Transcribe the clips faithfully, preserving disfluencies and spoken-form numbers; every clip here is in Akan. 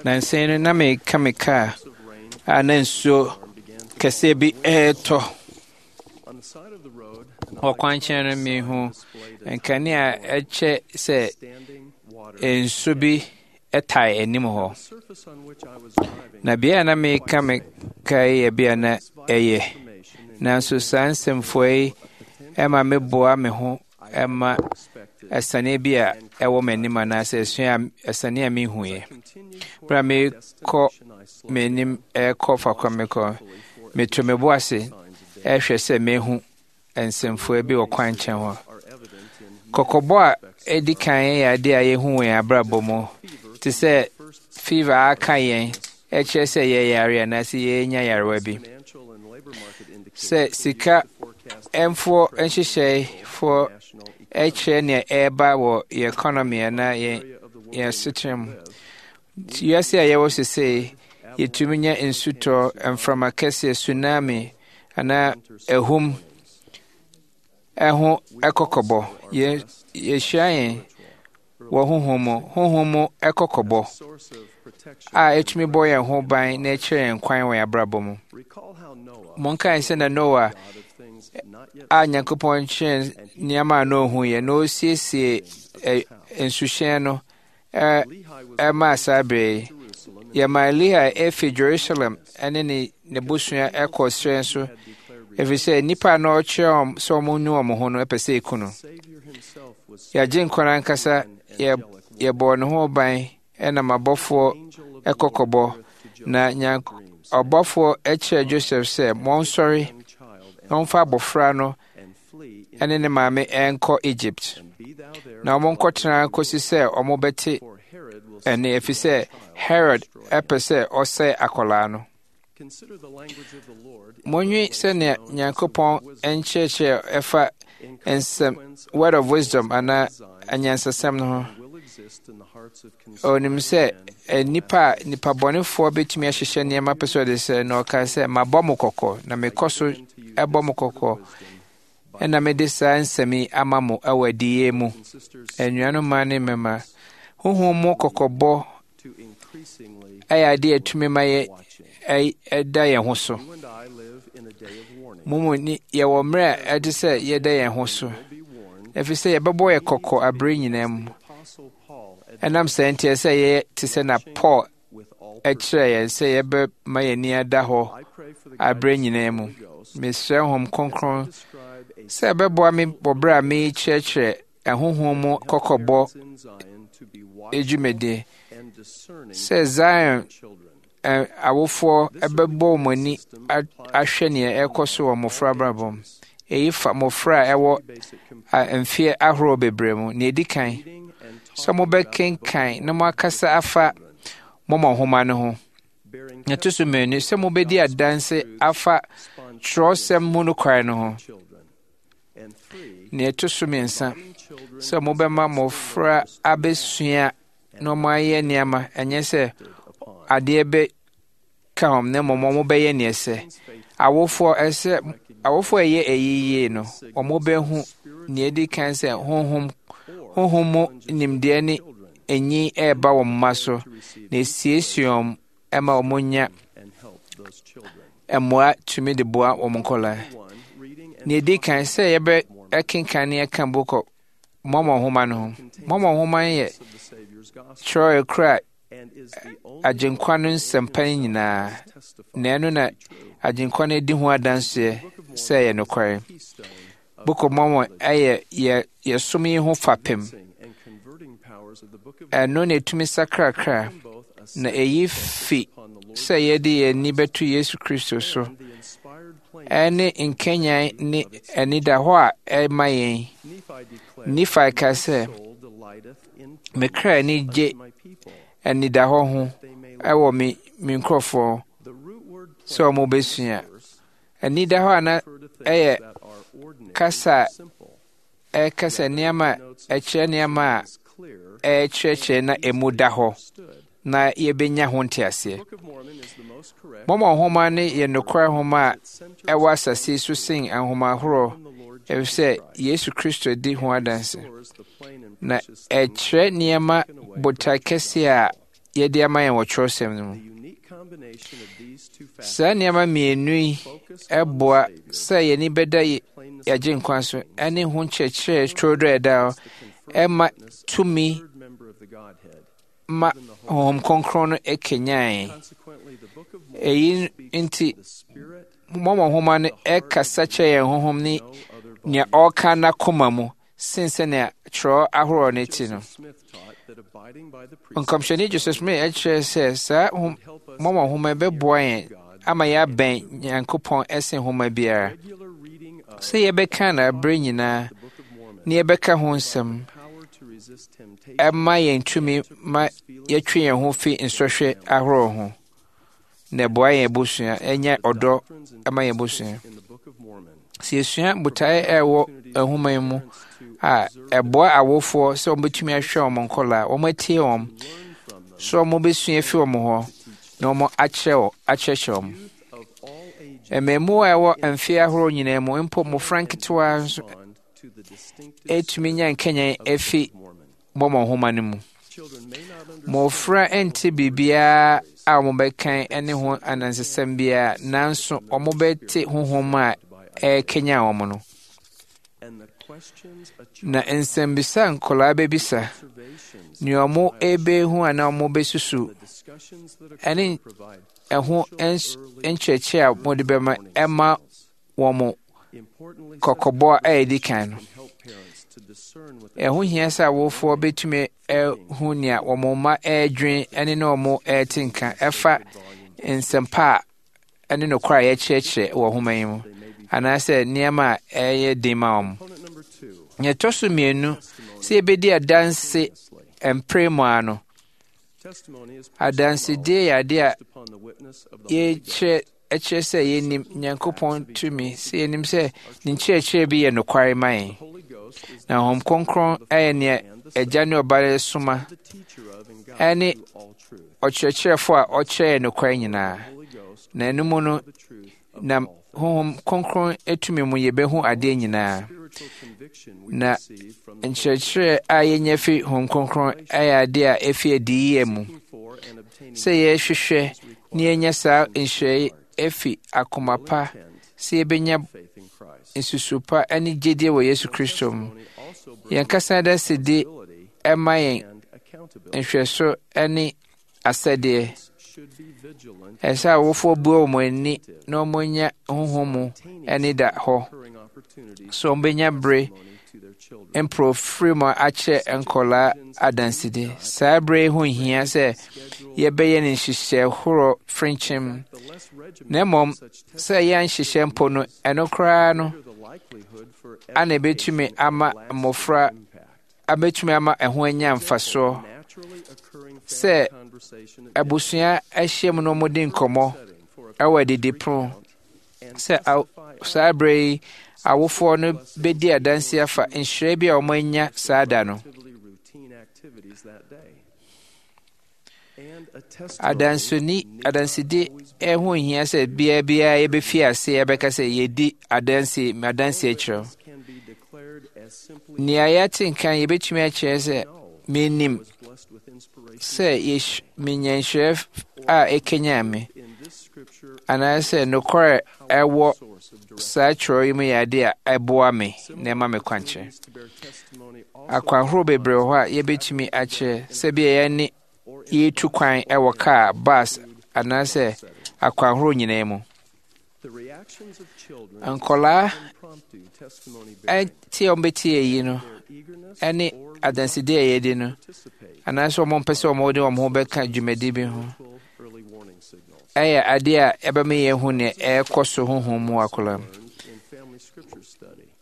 Nansa yi no, na mereka me kaa a na nsuo kɛseɛ bi retɔ. Wɔ kwankyɛn no, mehu nkanea a ɛkyɛ sɛ nsu bi tae anim hɔ. Na bea a na mereka me kaa yi yɛ bea a na ɛyɛ. Nanso saa nsɛmfua yi ma meboa me ho ma asiane bi a ɛwɔ m'anim anaasɛ asua asiane a mehuiɛ. Berɛ a merekɔ m'anim ɛrekɔ faako a mekɔ, meto me bo ase ɛrehwɛ sɛ mehu nsɛmfua bi wɔ kwankyɛn hɔ. Kɔkɔbɔ a ɛdi kan yɛ adeɛ a yɛhu wɔ yɛn abrabɔ mu te sɛ fever a aka yɛn ɛkyerɛ sɛ yɛyare anaasɛ yɛnya yarewa bi. Sɛ sika mfoɔ nhyehyɛefoɔ ɛkyerɛ nea ɛreba wɔ yɛn economy anaa yɛn yɛn asetena mu. Wiase a yɛwɔ sesei, yɛtumi nya nsutɔ, mframa kɛseɛ, tsunami anaa ahum ɛho ɛkɔkɔbɔ. Yɛhyia yɛn wɔ honhom mu, honhom mu ɛkɔkɔbɔ a ɛtumi bɔ yɛn ho ban na ɛkyerɛ yɛn kwan wɔ yɛn abrabɔ mu. Monkae sɛ na Noa a Nyankopɔn kyerɛ nneɛma a na ohu yɛ na osiesie nsuhyɛn no ɛmaa saa bere yi. Yɛmaa Lehi efi Jerusalem ne ne n'abusua ɛkɔ serɛ so ɛfiri sɛ nnipa a na ɔkyerɛ wɔn sɛ wɔn nu wɔn ho no ɛpɛ sɛ eku no. Yɛagye nkwa no ankasa yɛ yɛbɔɔ ne ho ban ɛnam abɔfoɔ ɛkɔkɔbɔ na nyank ɔbɔfoɔ ɛkyerɛ Joseph sɛ wɔnsɔre na wɔmfa abɔfra no ɛne ne maame ɛnkɔ Egypt na wɔnkɔtena kɔsi sɛ wɔbɛte ɛne ɛfiri sɛ Herod ɛpɛ sɛ ɔsɛe akwadaa no. Monwe sɛnea Nyankopɔn nkyerɛkyerɛ ɛfa nsɛm word of wisdom anaa anyansasɛm no ho. Onim sɛ nnipa a nnipa bɔnefoɔ bɛtumi ahyehyɛ nneɛma pɛ sɛ ɔde sɛ na ɔka sɛ mabɔ mo kɔkɔ na mekɔ so ɛbɔ mo kɔkɔ ɛna mede saa nsɛm yi ama mo ɛwɔ adiyie mu. Anuanom mmaa ne mmarima, honhom mu kɔkɔbɔ ɛyɛ adeɛ a ɛtumi ma yɛ ɛda yɛn ho so. Mo mu ni yɛwɔ mmerɛ a ɛde sɛ yɛda yɛn ho so, ɛfiri sɛ yɛbɛbɔ yɛ kɔkɔ abere nyinaa mu. Ɛnam saa nti ɛsɛ yɛyɛ te sɛ na Paul ɛkyerɛ yɛn sɛ yɛbɛma yɛn ani ada hɔ abere nyinaa mu. Mesrɛ Honhom Kronkron sɛ ɛbɛboa me wɔ berɛ a merekyerɛkyerɛ ɛhonhom mu kɔkɔbɔ dwumadie sɛ Zion awofoɔ bɛbɔ wɔn ani ahwɛ nea ɛrekɔ so wɔ mmɔfra abrabɔ mu. Eyi fa mmɔfra a ɛwɔ mfeɛ ahorow bebree mu. Nea edi kan, sɛ mobɛkenkan na moakasa afa Mormon Nhoma no ho. Nea ɛto so mmienu, sɛ mobɛdi adanse afa kyerɛwsɛm mu nokware no ho. Nea ɛto so mmiɛnsa, sɛ mobɛma mmɔfra abɛsua na wɔayɛ nneɛma, ɛnyɛ sɛ adeɛ bɛka wɔn na mmom wɔbɛyɛ nea ɛsɛ. Awofoɔ ɛsɛ awofoɔ a ɛyɛ eyi yie no, wɔbɛhu nea edi kan sɛ honhom honhom mu nimdeɛ ne enyi ɛreba wɔn mma so na esiesie wɔn ɛma wɔnya mmoa tumi de boa wɔn nkɔlaa. Nea edi kan sɛ yɛbɛ ɛkenkan ne ɛka bokɔ Mormon Nhoma no ho. Mormon Nhoma no yɛ kyerɛw ekura Agyenkwa no nsɛmpa no nyinaa, na ɛno na Agyenkwa no adi ho adanseɛ sɛ ɛyɛ nokware. Book of Mormon ɛyɛ yɛ yɛsom yi ho fapem. Ɛno na ɛtumi sakrakra, na ɛyi fi sɛ yɛde yɛn ani bɛto Yesu Kristo so, ɛne nkanyan ne anidahɔ a ɛma yɛn. Nifae ka sɛ, me kra ani gye anidahɔ ho ɛwɔ me me nkurɔfoɔ sɛ wɔn bɛsua. Anidahɔ a na ɛyɛ kasa a ɛkasa nneɛma a ɛkyerɛ nneɛma a ɛkyerɛkyerɛ na emu da hɔ na yɛbɛnya ho nteaseɛ. Mormon Nhoma no yɛ nokware nhoma a ɛwɔ asase so sen nhoma ahorow efisɛ Yesu Kristo di ho adanse. Na ɛkyerɛ nneɛma botae kɛse a yɛde ama yɛn wɔ twerɛsɛm no mu. Saa nneɛma mmienu yi boa sɛ yɛn ani bɛda yɛn Agyenkwa so ne ho nkyerɛkyerɛ turodoo a ɛda hɔ ɛma tumi ma Honhom Kronkron no kanyan yɛn. Eyi nti, Mormon Nhoma no kasa kyerɛ yɛn honhom ne nea ɔreka n'akoma mu sen sɛnea twerɛ ahorow no te no. Nkɔmhyɛni Joseph Smith kyerɛ sɛ saa Mormon Nhoma bɛboa yɛn ama yɛabɛn Nyankopɔn sen nhoma biara. Sɛ yɛbɛka no abere nyinaa na yɛbɛka ho nsɛm ɛma yɛn tumi ma yɛtwe yɛn ho fi nsɔhwɛ ahorow ho na ɛboa yɛn abusua ɛnya ɔdɔ ɛma yɛn abusua. Sɛ yɛsua botaeɛ a ɛwɔ nhoma yi mu a, ɛboa awofoɔ sɛ wɔbɛtumi ahwɛ wɔn nkɔlaa, wɔatie wɔn, sɛ wɔbɛsua afi wɔn hɔ na wɔn akyerɛ akyerɛkyerɛ wɔn. Mmaamua a ɛwɔ mfeɛ ahorow nyinaa mu, mpo mmofra nketewa nso ɛtumi nya nkanyan afi Mormon Nhoma no mu. Mmofra nte biribiara a wɔbɛkan ne ho anansesɛm biara, nanso wɔbɛte honhom a ɛrekanyan wɔn no. Na nsɛmbisa a nkwadaa bɛbisa, nea wɔrebehu anaa wɔbɛsusu, ɛne ɛho nkyerɛkyerɛ a wɔde bɛma ɛma wɔn kɔkɔbɔ a ɛdi kan no. Ɛho hia sɛ awofoɔ bɛtumi ahu nea wɔn mma ɛredwen ne ne wɔn ɛrete nka ɛfa nsɛmpa a ɛne nokorɛ a yɛkyerɛkyerɛ wɔ nhoma yi mu anaasɛ nneɛma a ɛyɛ den ma wɔn. Nea ɛtɔ so mmienu, sɛ yɛbɛdi adanse mpere mu ara no, adansedie yɛ adeɛ a yɛkyerɛ ɛkyerɛ sɛ yɛnim Nyankopɔn tumi, sɛ yɛnim sɛ ne nkyerɛkyerɛ bi yɛ nokware ma yɛn. Na Honhom Kronkron yɛ nea Agya ne Ɔba no soma ɛne ɔkyerɛkyerɛfo a ɔkyerɛ yɛn nokware nyinaa. Na ɛno mu no, nam Honhom Kronkron tumi mu yɛbɛhu adeɛ nyinaa. Na nkyerɛkyerɛ a yɛnya fi Honhom Kronkron yɛ adeɛ a ɛfi adiyie mu. Sɛ yɛhwehwɛ na yɛnya saa nhyira yi afi akoma pa sɛ yɛbɛnya nsusu pa ne gyedie wɔ Yesu Kristo mu. Yɛn kasa adansedie ɛma yɛn nhwɛso ne asɛdeɛ. Ɛsɛ awofoɔ bue wɔn ani na wɔnya honhom mu ani da hɔ so wɔbɛnya bere mporofiri mu akyerɛ nkɔlaa adansedi. Saa bere yi ho hia sɛ yɛbɛyɛ ne nhyehyɛe horow frenkyem, na mmom sɛ yɛanhyehyɛ mpo no, ɛno koraa no ana ebetumi ama mmofra abetumi ama ɛho anya mfasoɔ sɛ abusua ahyiam na wɔdi nkɔmmɔ ɛwɔ adidipono sɛ saa bere yi awofoɔ no bɛdi adanse afa nhyira bi a wɔanya saa da no. Adansoni adansedi ɛho hia sɛ bia biara yɛbɛfi ase yɛbɛka sɛ yɛdi adanse adanse akyerɛ. Nea yɛate nka yɛbɛtumi akyerɛ sɛ menim sɛ menya nhyira a ɛkanyan me anaasɛ nokorɛ ɛwɔ saa twerɛ yi mu yɛ ade a ɛboa me na ɛma me kwankyerɛ. Akwan horow bebree wɔ hɔ a yɛbɛtumi akyerɛ sɛ bia yɛne yɛretu kwan wɔ kaa, bus anaasɛ akwan horow nyinaa mu. Nkɔlaa tie a wɔbɛtie eyi no ne adansedi a yɛdi no anaasɛ wɔn mpɛ sɛ wɔde wɔn ho bɛka dwumadi bi ho ɛyɛ adeɛ a ɛbɛma yɛahu nea ɛrekɔ so honhom mu akwadaa mu.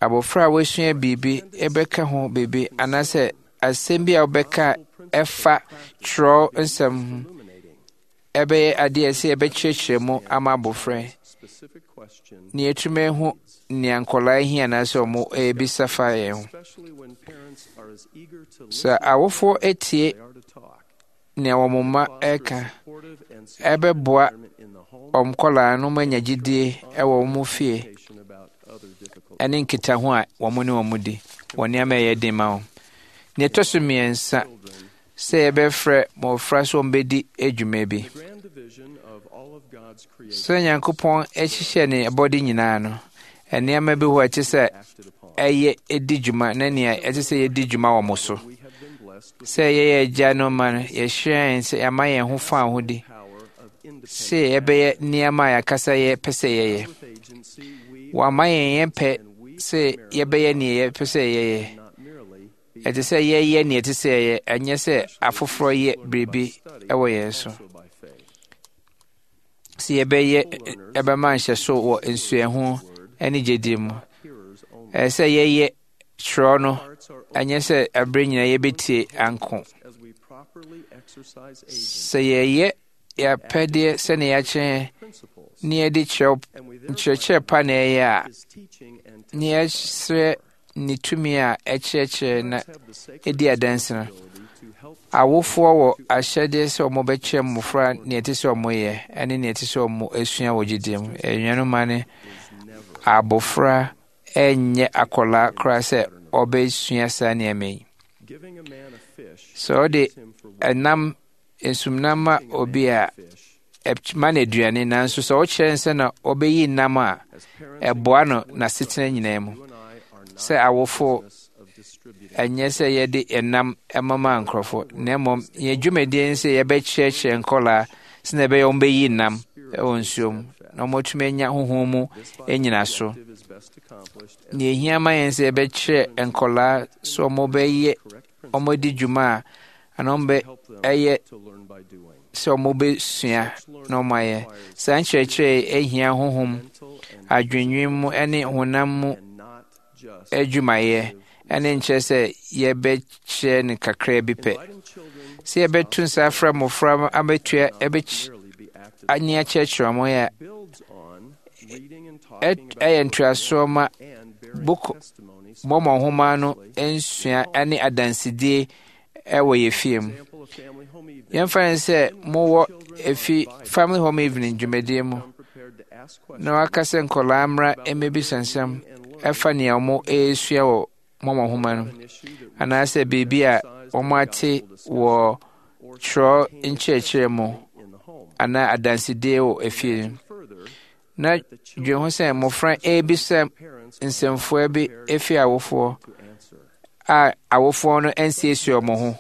Abɔfra a wasua biribi bɛka ho biribi anaasɛ asɛm bi a wobɛka ɛfa twerɛ nsɛm ho ɛbɛyɛ adeɛ sɛ yɛbɛkyerɛkyerɛ mu ama abɔfra yi na yɛatumi ahu nea nkwadaa hia anaasɛ wɔn ɛrebisa fa yɛn ho. Sɛ awofoɔ etie nea wɔn mma ɛreka, ɛbɛboa wɔn nkwadaa no ma anya gyidie ɛwɔ wɔn fie ɛne nkitaho a wɔn ne wɔn di wɔ nneɛma a ɛyɛ den ma wɔn. Nea ɛtɔ so mmiɛnsa, sɛ yɛbɛfrɛ mmɔfra sɛ wɔmbɛdi adwuma bi. Sɛ Nyankopɔn hyehyɛ ne abɔde nyinaa no, nneɛma bi hɔ a ɛte sɛ ɛyɛ di dwuma na nea ɛte sɛ yɛdi dwuma wɔ mo so. Sɛ yɛyɛ agya no ma no, yɛhyira yɛn sɛ yɛama yɛn ho fa ahodi sɛ yɛbɛyɛ nneɛma a yɛakasa yɛpɛ sɛ yɛyɛ. Wɔama yɛn yɛn pɛ sɛ yɛbɛyɛ nea yɛpɛ sɛ yɛyɛ. Ɛte sɛ yɛyɛ nea ɛte sɛ yɛyɛ, ɛnyɛ sɛ afoforɔ yɛ biribi wɔ yɛn so. Sɛ yɛbɛyɛ ɛbɛma nhyɛso wɔ nsuahu ne gyedie mu. Ɛsɛ sɛ yɛyɛ twerɛ no, ɛnyɛ sɛ ɛberɛ nyinaa yɛbɛtie anko. Sɛ yɛyɛ yɛapɛdeɛ sɛnea yɛakyerɛ ne yɛde kyerɛw nkyerɛkyerɛ pa na ɛyɛ a, ne yɛsrɛ ne tumi a ɛkyerɛkyerɛ na ɛdi adanse no. Awofoɔ wɔ ahyɛdeɛ sɛ wɔbɛkyerɛ mmɔfra nea ɛte sɛ wɔyɛ ne nea ɛte sɛ wɔsua wɔ gyedie mu. Anuanom mma ne abɔfra ɛnyɛ akwadaa koraa sɛ ɔbɛsua saa nneɛma yi. Sɛ ɔde ɛnam nsumnam ma obi a, ɛma no aduane, nanso sɛ ɔkyerɛ no sɛ na ɔbɛyi nam a, ɛboa no n'asetena nyinaa mu. Sɛ awofo, ɛnyɛ sɛ yɛde ɛnam ɛmama nkurɔfo, na mmom yɛn dwumadie ne sɛ yɛbɛkyerɛkyerɛ nkɔlaa sɛnea ɛbɛyɛ wɔn bɛyi nam wɔ nsuo mu na wɔatumi anya honhom mu nnyinaso. Nea ehia ma yɛn sɛ yɛbɛkyerɛ nkɔlaa sɛ wɔbɛyɛ wɔadi dwuma a anaa wɔbɛyɛ sɛ wɔbɛsua na wɔayɛ. Saa nkyerɛkyerɛ yi ehia honhom, adwennwen mu ne honam mu adwumayɛ ɛne nkyerɛ sɛ yɛbɛkyerɛ no kakraa bi pɛ. Sɛ yɛbɛto nsa afrɛ mmɔfra abɛtua ɛbɛkyi ani akyerɛkyerɛ wɔn yɛ ɛyɛ ntoasoɔ ma Book Mormon nhoma no nsua ne adansedie ɛwɔ yɛ fie mu. Yɛmfa no sɛ mowɔ efi family home evening dwumadie mu na waka sɛ nkɔlaa mmra mmɛbisa nsɛm ɛfa nea wɔn ɛresua wɔ Mormon nhoma no anaasɛ biribi a wɔn ate wɔ twerɛ nkyerɛkyerɛ mu anaa adansedie wɔ efie no. Na dwen ho sɛ mmɔfra ɛrebisa nsɛmfua bi efi awofoɔ a awofoɔ no nsiesie wɔn ho.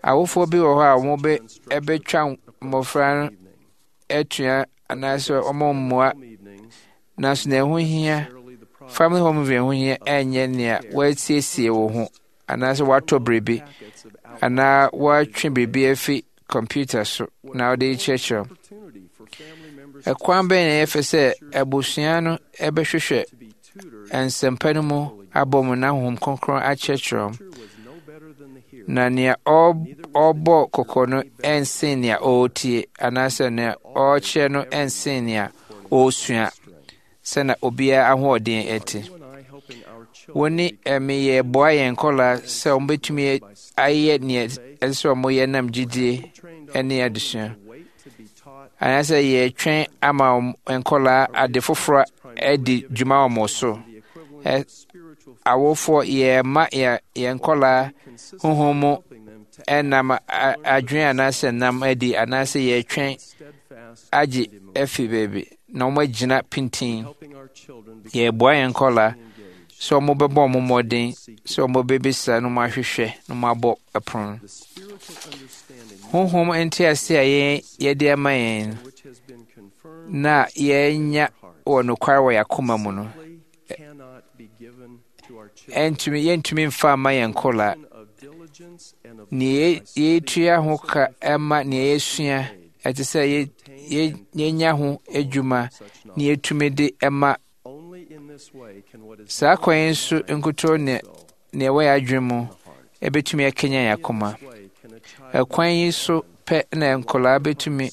Awofoɔ bi wɔ hɔ a wɔn bɛ ɛbɛtwa mmɔfra no atua anaasɛ wɔn mmoa, nanso nea ɛho hia family home viewing ho hia ɛnyɛ nea wɔasiesie wɔn ho anaasɛ wɔatɔ biribi anaa wɔatwe biribi afi kɔmputa so na wɔde rekyerɛkyerɛ. Ɛkwan bɛn na ɛyɛ fɛ sɛ abusua no ɛbɛhwehwɛ nsɛmpa no mu abɔ mu na Honhom Kronkron akyerɛkyerɛ wɔn? Na nea ɔrebɔ kɔkɔ no ɛnsen nea ɔretie anaasɛ nea ɔrekyerɛ no ɛnsen nea ɔresua sɛnea obiara ahoɔden ɛte. Wo ne ɛme yɛboa yɛn nkɔlaa sɛ wɔbɛtumi ayɛ nea ɛsɛ sɛ wɔyɛ nam gyidie ne adesua. Anaasɛ yɛtwɛn ama nkɔlaa ade foforɔ adi dwuma wɔ wɔn so. Awofoɔ yɛma yɛn nkɔlaa honhom mu ɛnam adwene anaasɛ nam adi anaasɛ yɛtwɛn agye afi baabi na wɔagyina pintinn. Yɛboa yɛn nkɔlaa sɛ wɔbɛbɔ wɔn mmɔden sɛ wɔbɛbisa na wɔahwehwɛ na wɔabɔ ɛpono. Honhom ntease a yɛn yɛde ama yɛn na yɛnya wɔ nokware wɔ yɛn akoma mu no, ɛntumi yɛntumi mfa mma yɛn nkɔlaa. Nea yɛtua ho ka ɛma nea yɛsua ɛte sɛ yɛnya ho adwuma na yɛtumi de ɛma. Saa kwan yi nso nkutoo ne nea ɛwɔ yɛn adwene mu ɛbɛtumi akanyan yɛn akoma. Ɛkwan yi so pɛ na nkɔlaa bɛtumi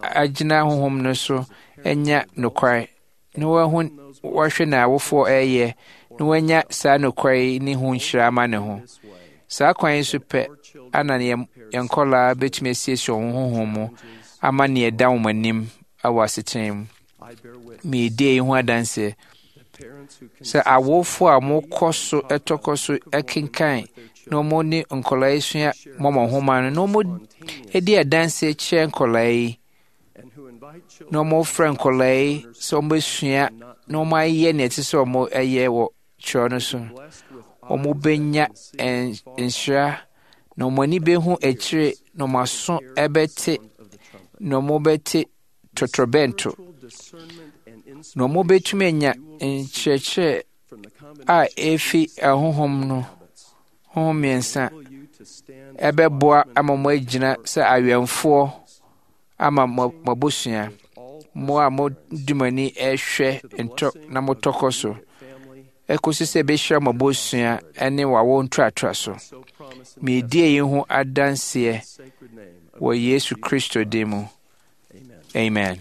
agyina honhom no so anya nokware na wɔahu wɔahwɛ na awofoɔ ɛreyɛ na wɔanya saa nokware yi ne ho nhyira ama ne ho. Saa kwan yi so pɛ ana yɛn nkɔlaa bɛtumi asiesie wɔn honhom mu ama nea ɛda wɔn anim wɔ asetena mu. Meedi eyi ho adanseɛ sɛ awofo a mokɔ so tɔkɔ so kenkan na wɔn ne nkɔlaa yi sua Mormon Nhoma no, na wɔn di adanseɛ kyerɛ nkɔlaa yi, na wɔfrɛ nkɔlaa yi sɛ wɔbɛsua na wɔayɛ nea ɛte sɛ wɔyɛ wɔ twerɛ no so. Wɔbɛnya nhyira na wɔn ani bɛhu akyire na wɔn aso bɛte na wɔbɛte totorobɛnto na wɔbɛtumi anya nkyerɛkyerɛ a efi ahonhom no ho mmiɛnsa ɛbɛboa ama mo agyina sɛ awɛmfoɔ ama mo abusua, mo a modi mo ani hwɛ ntɔ na motɔ kɔ so ɛkɔsi sɛ ɛbɛhyira mo abusua ne w'awo ntoatoa so. Meredi eyi ho adanseɛ wɔ Yesu Kristo din mu. Amen.